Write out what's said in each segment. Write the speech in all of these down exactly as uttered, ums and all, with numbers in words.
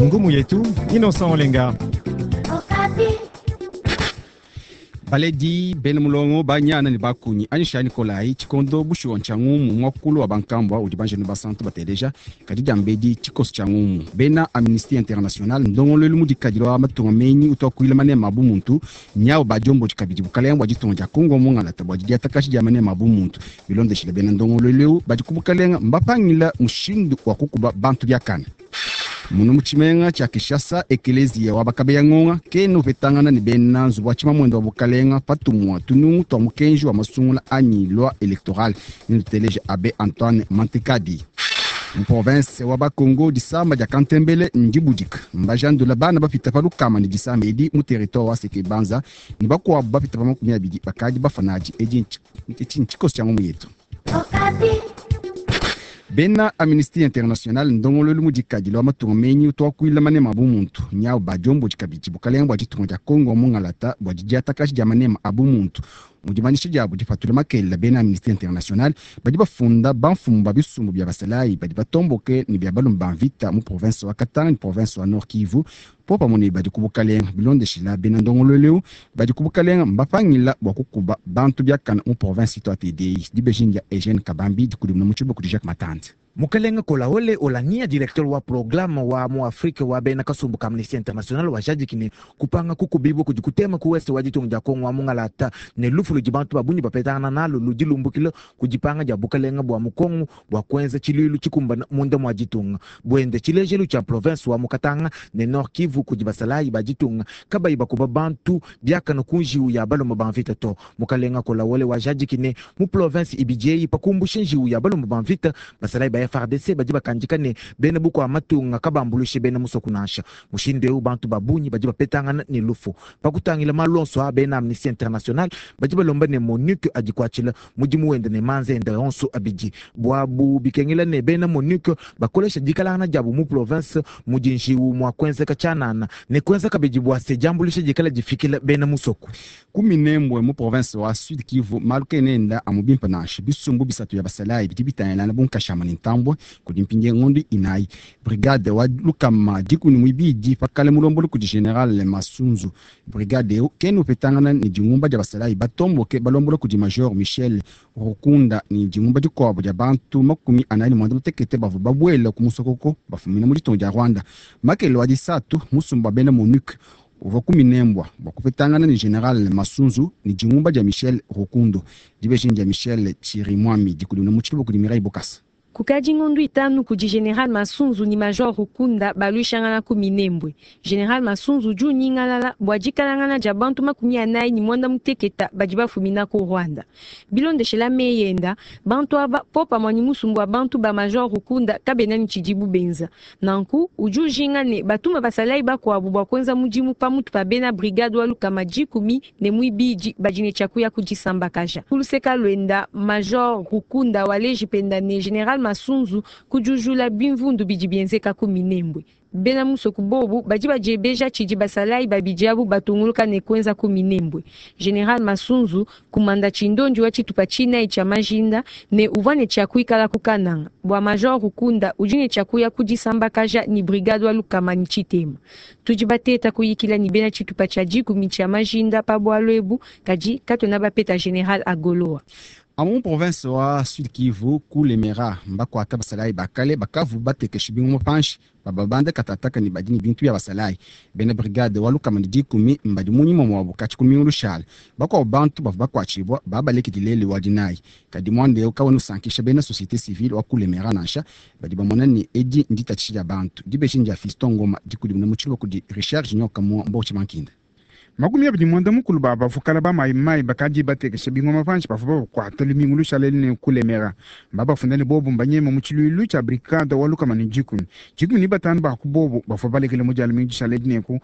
Ngumu yetu Innocent Olenga. Baledi bena mulongo banyana ne bakunyi anyisha Nikolai tshikondo bushuwa ntshia ngumu muakulu wa bankambua udi banjenu basantu bateleja kadi diambedi tshikoso tshia ngumu bena Amnesty International ndongoluelu mudikadilo wa matunga menyi utwakuila manema abu muntu nyawo badiomboji kabidi bukalenga bua ditunga dia Kongo mungalata bua didiatakashi dia manema abu muntu bilondeshile bena ndongoluelu eu badi ku bukalenga mbapangila mushindu wa kukuba bantu biakane. Munu mu tshimenga tshia Kinshasa ekelezia wa bakabeya ngonga kena upetangana ne bena nzubu wa tshimamwendo wa bukalenga patumwa tunungu twa mukenji wa masungula anyi loi électorale nituteleje Abbé Antoine Mantekadi. Mu province wa Bakongo disamba dia Kantembele ndibudika mbajandula bana bapita pa lukama ne disamba edi mu territoire wa Seke Banza ne bakuabu bapita pa makumi abidi bakadi bafanaji edi ntshikoso tshia ngumu yetu. Bena Amnesty International ndongoluelu mudikadilo wa matunga menyi utwakuila manema abu muntu nyawo badiomboji kabidi bukalenga bua ditunga dia Kongo mungalata bua didiatakashi dia manema abu muntu mu dimanyisha diabu dipatula makelela bena Amnesty International badi bafunda bamfumu ba bisumbu bia basalayi badi batomboke ne bia balumba ba mvita mu province wa Katanga ne province wa Nord Kivu po pamue ne badi ku bukalenga bilondeshila bena ndongoluelu eu badi ku bukalenga mbapangila bua kukuba bantu biakana mu province itu A T D I dibejini dia Eugene Kabambi dikudimuna mu tshibuku di Jacques Matante. Mukalenga Kolawole Olania, directeur wa programme wa mu Afrique wa bena kasumbu ka Amnesty International wa jadiki ne kupanga kukubibwa kudi kutema ku west wa ditunga dia Kongo wa mungalata ne lufu ludi bantu babunyi bapetangana nalo ludi lumbukila kudipanga dia bukalenga bua mukongo bua kuenza tshiluilu tshikumbana munda mua ditunga buende tshilejelu tshia province wa Mukatanga ne Nord Kivu kudi basalayi ba ditunga kabayi bakuba bantu biakana ku njiwu ya baloma ba mvita to. Mukalenga Kolawole wa jadiki ne mu province ibidieyi pakumbusha njiwu ya baloma ba mvita basalayi ba F R D C badi bakandika ne bena buku amatunga kabambulushe bena musoku nansha mushindu eu bantu babunyi badi bapetangana ne lufu pakutangila malonso a bena Amnesty International badi balomba ne MONUC adikwatshila mudimu wende ne manze ende onso abidi bwabu bikengela ne bena MONUC bakolesha dikalangana diabu mu province mudi njiwu mwa kuenzeka tshianana ne kuenza kabidi bua se diambuluisha dikala difikila bena musoku. Kuminembwe mu province wa Sud Kivu malu kenenda amubimpa nansha bisumbu bisatu ya basalayi bidi bitangilana bunkashama ne ntambwe kudi mpindieu ngondo inayi brigade wa lukama dikumi muibidi pakale mulomboli kudi general Masunzu brigade eu kena upetangana ne dingumba dia basalayi batomboke balombola kudi major Michel Rukunda ne dingumba dikuabu dia bantu makumi anayi ne mwanda mutekete bavua babuela ku musokoko bafumina mu ditunga dia Rwanda makelo wa disatu musumba wa bena MONUC uvua kuminembwa bua kupetangana ne general Masunzu ne dingumba dia Michel Rukundo dibejini dia Michel Chirimwami dikudimuna mu tshiluba kudi Mireille Bokasa. Kukadi ngondu itanu kudi General Masunzu ni Major Rukunda baluishangana ku Minembwe. General Masunzu ju nyingalala bua dikalangana dia bantu makumi anayi ni mwanda muteketa badi bafumina ku Rwanda. Bilondeshela meyenda bantu aba popa mwani musumbu wa bantu ba Major Rukunda kabena ni tshidibu benza. Nanku uju jinga ne batuma basalayi bakuabu bua kuenza mudimu pamutu pa bena brigade wa lukama dikumi ne muibidi badi ne tshiakuya kudisambakaja. Kuluseka lwenda Major Rukunda waleji penda ne General Masunzu kujujula bimvundu bidi bienzeka ku Minembwe. Bena musoku bobu badi badiebeja tshidi basalayi babidi abu batunguluka ne kuenza ku Minembwe. General Masunzu kumanda tshindondi wa tshitupa tshinayi tshia majinda ne uvua ne tshia kuikala ku Kananga. Bua Major Rukunda udi ne tshia kuya kudisambakaja ni brigade wa lukama ni tshitema. Tudi bateta kuyikila ni bena tshitupa tshia dikumi tshia majinda pa bualu ebu kadi katona bapeta General Agoloa. Amu province wa Sud Kivu kulemera mbakwata basalayi bakale bakavu batekesha bingoma panshi bababanda katataka ni badi ni bintu bya basalayi bena brigade wa lukama ni dikumi mbadi munyima mwabo kati ku miundu shala bakwabo bantu bavua bakwatshibwa babalekidilele wa dinayi kadi mwande eu kawena usankisha bena société civile wa kulemera nansha badi bamona ni edi nditatshisha dia bantu dibejini dia Fiston Ngoma dikudimuna mu tshiluba kudi Richard Junior Kamwa Mbochi Mankinda. Makumi abidi mwanda mukulu ba bavukala ba mai mai bakadi batekesha bingoma panshi bavua bakwata lumingu lushalele ne kulemera mbabafunda ne bobu mbanyema mu tshiluilu tshia brigade wa lukama ne dikumi dikumi ni batanu ba ku bobu bavua balekele mu dia lumingu lushalele ne ku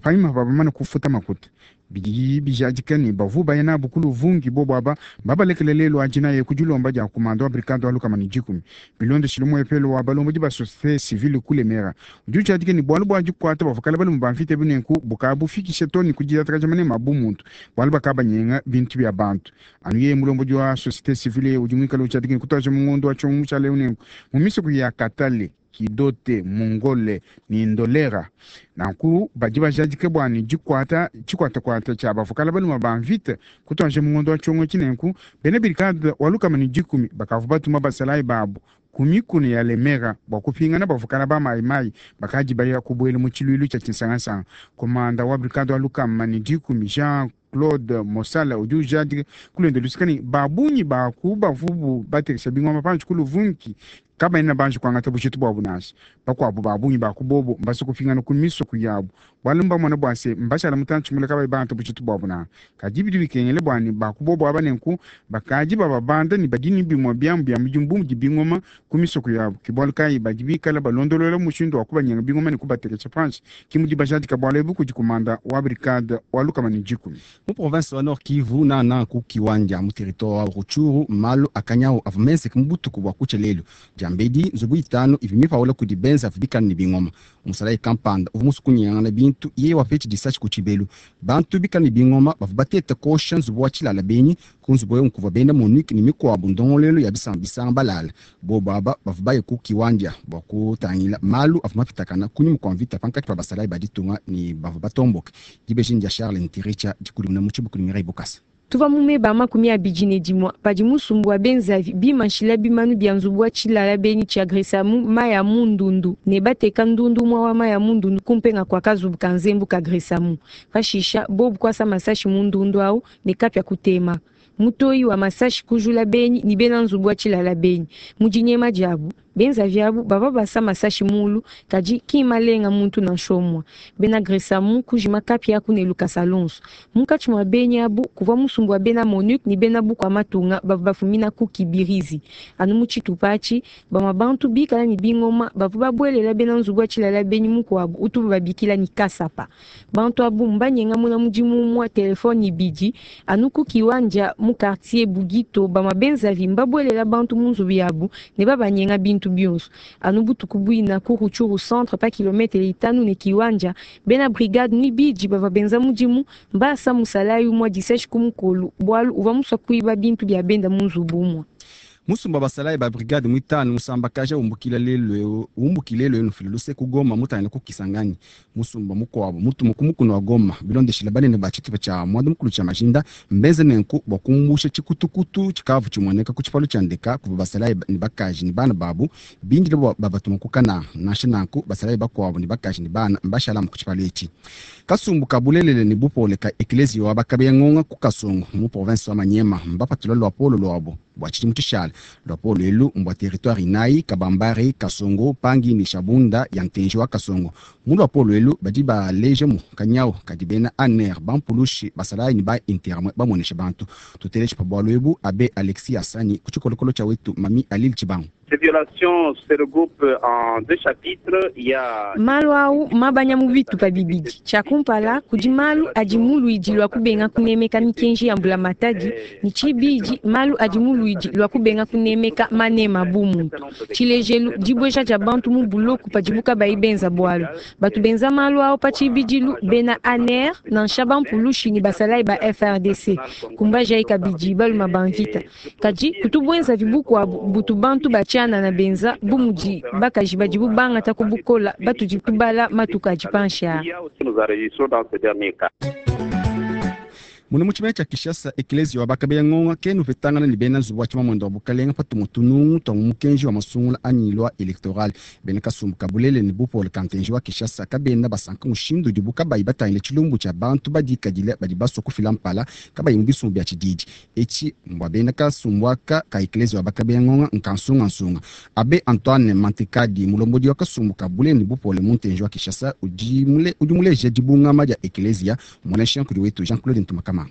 panyima bamane kufuta makuta bidi bijadika ne bavua baya nabu ku luvungi bobu aba babalekele lelu adina ku dilomba dia kumanda wa brigade wa lukama ne dikumi bilondeshile muepelo wa balombodi ba société civile kulemera udi ujadika ne bualu bua dikuata bavua balume ba mvita binenku bukabufikisha to ne kudiatakaja manema bu muntu bualu bakabanyenga bintu bia bantu anu yeye mulombodi wa société civile udi muikale ujadika ne kutaja mu ngondo wa tshiongo tshia leo nenku mu misoko ya Katale Kidote, Mungole ne Ndolera. Nanku badi bajadike bua ne dikwata tshikwatakwata tshia bavukala baluma ba mvita kutuanje mu ngondo wa tshiongo tshinenku bena brigade wa lukama ne dikumi bakavua batuma basalayi babu ku mikuna ya Lemera bua kupingana bavukala ba mayimayi bakadi baya kubuela mu tshiluilu tshia tshinsangasanga. Komanda wa brigade wa lukama ne dikumi Jean Claude Mosala udi ujadika kulenda lusika ne babunyi baku bavubu batekesha bingoma panshi ku Luvungi kabaena banji kuangata bujitu buabu nansha. Bakuabu babunyi baku bobo mbasa kupingana ku misoko yabu bualu mbamona bua se mbashala mutantshi mule kabayi bangata bujitu buabu na kadi bidi bikengele bua ne baku bobo aba nenku bakadi bababanda ne badi ne bimue biamu bia mudimu bu mudi bingoma ku misoko yabu. Ke bualu kayi badi bikala balondolola mushindu wa kubanyenga bingoma ne kubatekesha panshi. Ke mudi bajadika bualu ebu kudi komanda wa brigade wa lukama ne dikumi. Mu province wa Nord Kivu nana ku Kiwanja mu territoire wa Rutshuru malu akanyao avua menzeke mu butuku bua kutshia lelu. Diambedi nzubu itanu ivi mipaula kudi benza avua bikala ne bingoma. Musalayi kampanda uvua musukunyangana bintu yeye wapetshi disashi ku tshibelu. Bantu bikala ne bingoma bavua bateta kosha nzubu wa tshilala benyi ku nzubu ewu nkuvua bena MONUC ne mikuabu ndongoluelu ya bisamba bisanga balala. Bobo aba bavua baye ku Kiwanja bua kutangila malu avua mapitakana kunyima kua mvita pankatshi pa basalayi ba ditunga ne bavua batomboke. Dibeji dia Charles Ntiricha dikudimuna mu tshibuku ne Mireille Bokasa. Tuva mumeba makumi abidi ne dimua padi musumbu wa benzavi bimanshila bimanu bia nzubu wa tshilala benyi tshia Gresamu maya mu ndundu ne bateka ndundu umue wa maya mu ndundu kumpenga kwa kazubu ka nzembu ka Gresamu. Pashisha bobu kwasa masashi mu ndundu awu ne kapya kutema. Mutoyi wa masashi kujula benyi ni bena nzubu wa tshilala benyi mu dinyema diabu. Benzavi abu bava basa masashi mulu kadi kimalenga muntu nansha umue. Bena Gresamu kujima kapya ku ne lukasa lonso. Munkatshi mua benyi abu kuvua musumbu wa bena MONUC ne bena bukua matunga bavua bafumina ku Kibirizi. Anu mu tshitupa atshi bamue bantu bikala ne bingoma bavua babuelela bena nzubu wa tshilala benyi mukuabu utubu babikila ni Kasapa. Bantu abu mbanyenga muna mudimu umue telefone ibidi anu ku Kiwanja mu quartier Bugito bamue benzavi mbabuelela bantu mu nzubu yabu ne babanyenga bintu bionso. Anu butuku buina ku Rutshuru centre pa kilometre itanu ne Kiwanja bena brigade mwibidi bavua benza mudimu mbasa musalayi umue disashi ku mukolu bualu uvua musua kuiba bintu bia benda mu nzubu umue. Musumba basalayi ba brigade mwitanu musambakaja umbukila lelu umbukile lelu nufila luse ku Goma mutangila ku Kisangani. Musumba mukuabu mutumu ku mukuna wa Goma bilondeshila banene ba tshitupa tshia mwanda mukulu tshia Majinda mbenze nenku bua kumbusha tshikutukutu tshikavu tshimueneka ku tshipalu tshia ndeka kuvua basalayi ne bakaji ne bana babu bindile bua babatuma ku Kananga. Nansha nanku basalayi bakuabu ne bakaji ne bana mbashalamu ku tshipalu etshi. Kasumbu ka bulelele ne bupole ka eklezia wa bakabeya ngonga ku Kasongo mu province wa Maniema mbapatula luapolo luabu bua tshidimu tshishala. Luapolo elu mbua territoire inayi Kabambare, Kasongo, Pangi ne Shabunda ya ntenji wa Kasongo. Mu luapolo elu badi baleja mu kanyau kadi bena A N R bampulushi basalayi ne ba interme bamuonesha bantu. Tuteleje pa bualu ebu Abe Alexis Asani ku tshikolokolo tshia wetu Mami Alil Tshibangu. Ces violations se regroupent en deux chapitres. Il y a malu au mabanya mu bitupa bibidi. Tshia kumpala kudi malu adi mu luidi lwa kubenga kunemeka mikenji ya mbulamatadi ne tshibidi malu adi mu luidi lwa kubenga kunemeka manema bu muntu. Tshilejelu dibweja dia bantu mu buloku padibu kabayi benza bualu. Batu benza malu ao pa tshibidilu bena A N R nansha bampulushi ne basalayi ba F R D C. Kumbaja kabidi baluma ba mvita. Kadi kutubwenza vibukuabu butu bantu batshiana na benza bumudi bakaji badibu bangata kubukola batudi tubala matuka adi panshi aa. Muna mu tshimene tshia Kinshasa eklezia wa bakabeya ngonga ke nupetangana ne bena nzubu wa tshimamwendo wa bukalenga patu tunungu twa mu mukenji wa masungula anyi loi électorale. Bena kasumbu kabulele ne bupole ka ntenji wa Kinshasa kabena basanka mushindu udibu kabayi batangile tshilumbu tshia bantu badikadile badi basua kufila mpala kabayi mu bisumbu bia tshididi. Etshi mbua bena kasumbu aka ka eklezia wa bakabeya ngonga nkansungansunga. Abe Antoine Mantekadi mulombodi wa kasumbu kabulele ne bupole mu ntenji wa Kinshasa udi mule, udi muleja dibungama dia eklezia muonesha nkudi wetu Jean-Claude Ntumakama.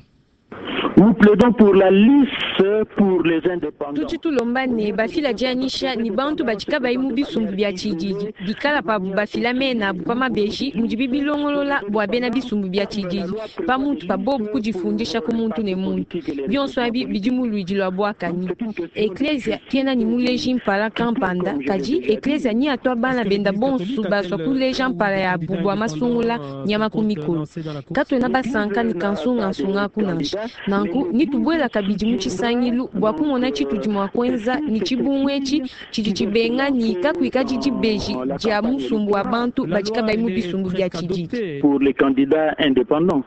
Nous plaidons pour la liste pour les indépendants. Tudi tulomba ne bafila dianyisha ni bantu badi kabayi mu bisumbu bia tshididi bikala pabu bafila mena abu pa mabeji mudi bibilongolola bua bena bisumbu bia tshididi pa muntu pa bobu kudifundisha ku muntu ne muntu bionso abi bidi mu luidi lua buakani. Eklezia kena ni muleji mpala kampanda kadi eklezia ni atwa bana benda bonsu basua kuleja mpala yabu bua masungula nyama ku mikolo. Katuena basanka ni kansungansunga ku nansha. Nanku nitubwela kabidi mu tshisangilu nsangilu bua kumona tshitudi mua kuenza ne tshibungu etshi tshidi tshibenga ne kakuikadi dibeji dia musumbu wa bantu badi kabayi mu bisumbu bia tshididi. Pour les candidats indépendants.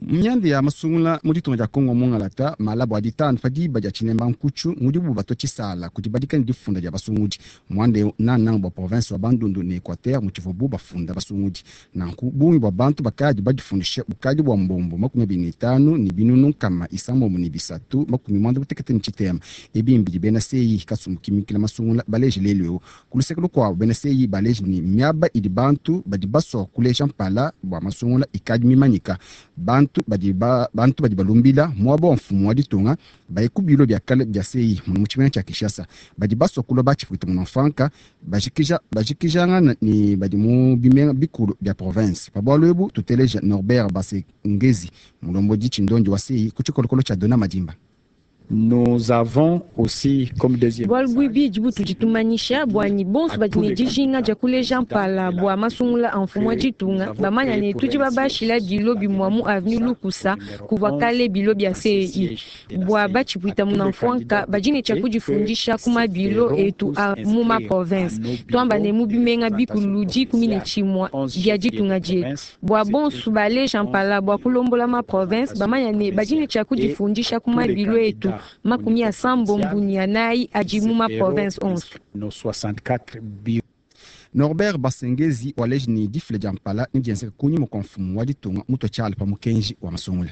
Myanda ya masungula mu ditunga dia Kongo mungalata malabo adi tanu pa diba dia tshinemba nkutshu mudibu batua tshisala kudi badika ne difunda dia basungudi muanda nananga bua province wa Bandundu ne Equateur mutshivuabu bafunda basungudi nanku bungi bua bantu bakadi badifundisha bukadi bua mbombo makumi abidi ne tanu ne binunu nkama isambombo ne bisatu makumi muanda mutekete ne tshitema ebi mbidi bena seyi kasumbu kimikila masungula baleje lelu eu ku luseke lukuabu bena seyi baleje ne miaba idi bantu badi basua kuleja mpala bua masungula ikadi mimanyika bantu badi ba, bantu badi balumbila muaba wa mfumu wa ditunga baye ku bilo bia kale bia seyi muno mu tshimenga tshia Kinshasa badi basua kulua batshipwita muno mfanka bajikija bajikijangana ne badi mu bimenga bikulu bia province pa bualu ebu tuteleja Norbert Basengezi mulombodi tshindondi wa seyi ku tshikolokolo tshia Dona Madimba. Nous avons aussi comme deuxième bualu buibidi butudi tumanyisha bua ne bonso badi ne dijinga dia kuleja mpala bua masungula a mfumu wa ditunga bamanya ne tudi babashila bilo bimua mu avenue Lukusa kuvua kale bilo bia C E I bua batshipwita muna mfuanka badi ne tshia kudifundisha ku mabilo etu a mu ma province twamba ne mu bimenga bikulu dikumi ne tshimua bia ditunga dietu bua bonso baleja mpala bua kulombola ma province bamanya ne badi ne tshia kudifundisha ku mabilo etu makumi asambombo ni anayi adi mu ma province onze. Norbert Basengezi waleji ni difile dia mpala ni dienzeka kunyima kua mfumu wa ditunga mutua tshiala pa mukenji wa masungula.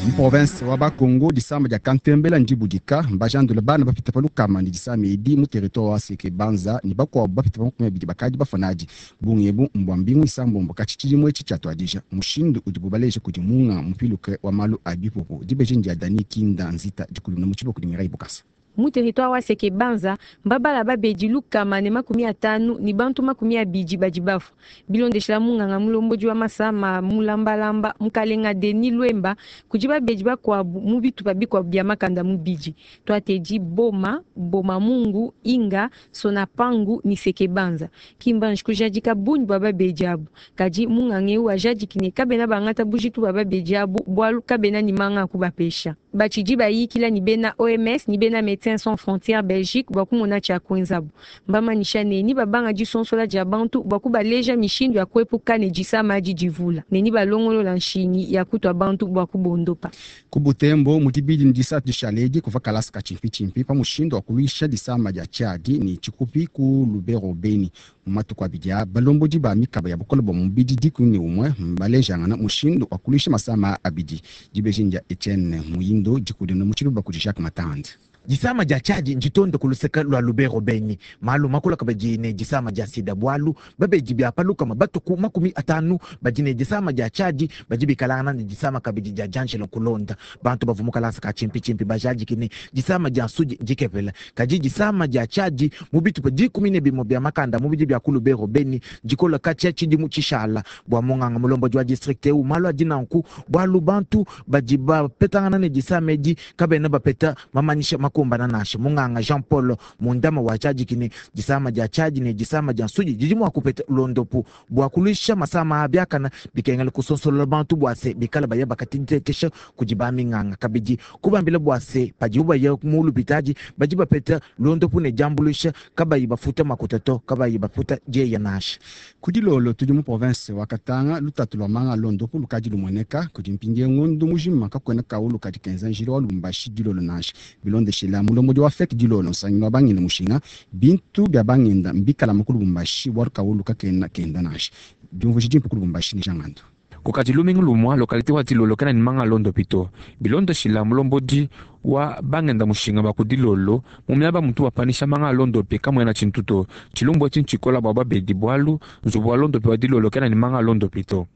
Mu province wa Bakongo disamba dia Kantembela ndibudika mbajandula bana bapita pa lukama ne disama edi mu territoire wa Seke Banza ne bakuabu bapita pa makumi abidi bakadi bafanadi bungi ebu mbua mbingu isambombo katshi tshidimu etshi tshiatuadija mushindu udibu baleja kudi munga mupiluke wa malu a bipupu dibeji ndia Dani Kinda Nzita dikulumuna mu tshibo kudi Mirai Bukasa. Mu territoire wa Seke Banza mbabala babedi lukama ne makumi atanu ni bantu makumi abidi badi bafua bilondeshela munganga mulombodi wa masama mulambalamba mukalenga Denis Lwemba kudi babedi bakuabu mu bitupa bikuabu bia makanda mubidi twatedi Boma Boma Mungu Inga Sonapangu ni Seke Banza kimbanji kujadika bungi bua babedi abu kadi munganga eu ajadiki ne kabena bangata bujitu bua babedi abu bualu kabena ni manga akubapesha batshidi bayikila ni bena O M S ni bena Médecins Sans Frontières Belgique bua kumona tshia kuenzabu mbamanyisha ne ni babanga disonsola dia bantu bua kubaleja mishindu ya kuepuka ne disama adi divula ne ni balongolola nshinyi ya kutua bantu bua kubondopa. Ku Butembo mu dibidi ne disatu dishaledi kuva kalasa ka tshimpitshimpi pa mushindu wa kuluisha disama dia tshiadi ne tshikupi ku Lubero Beni mu matuku abidi aa balombodi ba mikaba ya bukole bua mubidi dikumi ne umue mbalejangana mushindu wa kuluisha masama abidi dibeji ndia Etienne Muyindo dikudina mu tshiluba kudi Jacques Matande. Disama dia tshiadi nditonde ku luseke lua Lubero Beni malu makula kabadi ne disama dia sida bualu babedi bia palukama batuku makumi atanu badi ne disama dia tshiadi badi bikalangana ne disama kabidi dia D'Angelo kulonda bantu bavua mu kalasa ka tshimpitshimpi bajadiki ne disama dia nsudi dikepela kadi disama dia tshiadi mu bitupa dikumi ne bimue bia makanda mubidi bia ku Lubero Beni dikola katshia tshidimu tshishala bua munganga mulombodi wa district eu malu adi nanku bualu bantu badi bapetangana ne disama edi kabena bapeta mamanyisha makumbana nasha munganga Jean Paul mundama wa tshiadi ne disama dia tshiadi ne disama dia nsudi didi mua kupeta londopu bua kuluisha masama abiakana bikengela kusonsolola bantu bua se bikala baya bakatitekesha kudi baminganga kabidi kubambila bua se padibu baya mu lupitadi badi bapeta londopu ne diambuluisha kabayi bafuta makuta to kabayi bafuta dieya nasha. Kudi lolo tudi mu province wa Katanga lutatu lua manga londopu lukadi lumueneka kudi mpindie ngondu mujima kakuena kaulu kadi kenza njila wa Lubumbashi dilolo nansha bilondeshela mulombodi wa fek dilolo nsangilu wa bangenda mushinga bintu bia bangenda mbikala mu ku Lubumbashi bua kaulu kakena kenda nansha diumvuija dimpe ku Lubumbashi ni jangandu. Kukati lumingu lumwa lokalite wa dilolo kena ni manga londo pito bilondeshela mulombodi wa bangenda mushinga ba kudilolo mu miaba mutu bapanisha manga londo pe kamwena tshintuto tshilumbu etshi ntshikola bua babedi bualu nzubu wa londo pe wa dilolo kena ni manga londo pito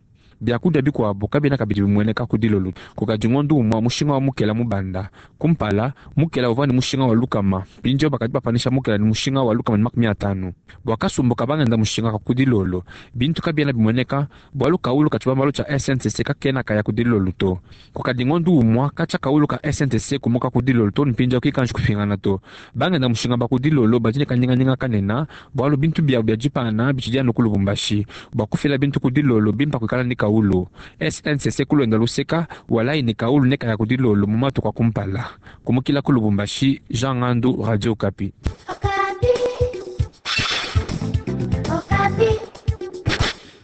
biakudia bikuabu kabena kabidi bimueneka kudilolo kukadi ngondu umwa mushinga wa mukela mubanda kumpala mukela uvua ni mushinga wa lukama mpindieu bakadi bapanisha mukela ni mushinga wa lukama ni makumi atanu bua kasumbu kabangenda mushinga ka kudilolo bintu kabiena bimueneka bualu kaulu ka tshibambalu tshia S N C C kakena kaya kudilolo to kukadi ngondu umwa katshia kaulu ka S N C C kumuka kudilolo to mpindieu kikanji kupingana to bangenda mushinga ba kudilolo badi ne kanyinganyinga kanena bualu bintu biabu bia dipana bitshidi anu ku Lubumbashi bua kufila bintu kudilolo bimpa kuikala ni kawulu. S N C C kulwenda luseka walayi ne kawulu ne kaya kudilolo mu matuku akumpala. Kumukila ku Lubumbashi, Jean Ngandu, Radio Okapi.